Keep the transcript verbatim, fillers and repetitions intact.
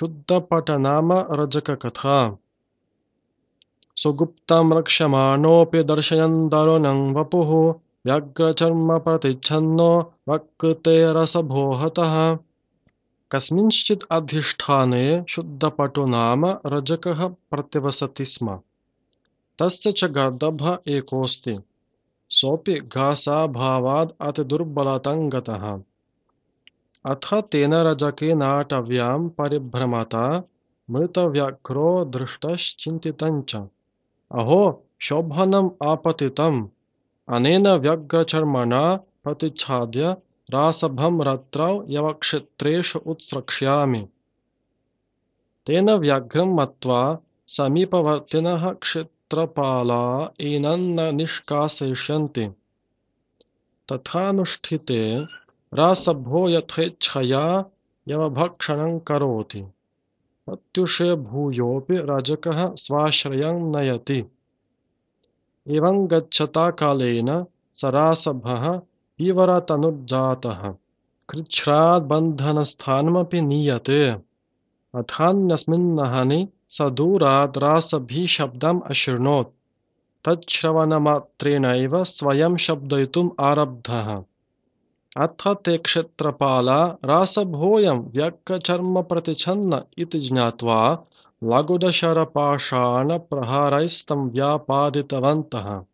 शुद्धपट नाम रजककथा। सुगुप्तं रक्ष्यमाणोऽपि दर्शयन् दारुणं वपुः व्यग्रचर्मप्रतिच्छन्नो वक्कृते रसभो हतः। कस्मिंश्चित् अधिष्ठाने शुद्धपटो नाम रजकः प्रतिवसति स्म। तस्य च गर्दभः एकोऽस्ति। सोऽपि घासाभावाद् अतिदुर्बलतं गतः। अथ तेन रजकेनाटव्यां परिभ्रमता मृतव्याघ्रो दृष्टश्चिन्तितञ्च। अहो शोभनम् आपतितम् अनेन व्यग्रचर्मणा प्रतिच्छाद्य रासभं रात्रौ यवक्षेत्रेषु उत्स्रक्ष्यामि। तेन व्याघ्रं मत्वा समीपवर्तिनः क्षेत्रपाला एनं निष्कासयिष्यन्ति। तथानुष्ठिते रासभो यथेच्छया यवभक्षणं करोति। प्रत्युषे भूयोऽपि रजकः स्वाश्रयं नयति। एवं गच्छता कालेन स रासभः विवरतनुर्जातः कृच्छ्राद् बन्धनस्थानमपि नीयते। अथान्यस्मिन्नहनि स दूराद् रासभीशब्दम् अशृणोत्। तच्छ्रवणमात्रेणैव स्वयं शब्दयितुम् आरब्धः। अथ ते क्षेत्रपाला रासभोऽयं व्यग्रचर्मप्रतिच्छन्न इति ज्ञात्वा लघुदशरपाषाणप्रहारैस्तं व्यापादितवन्तः।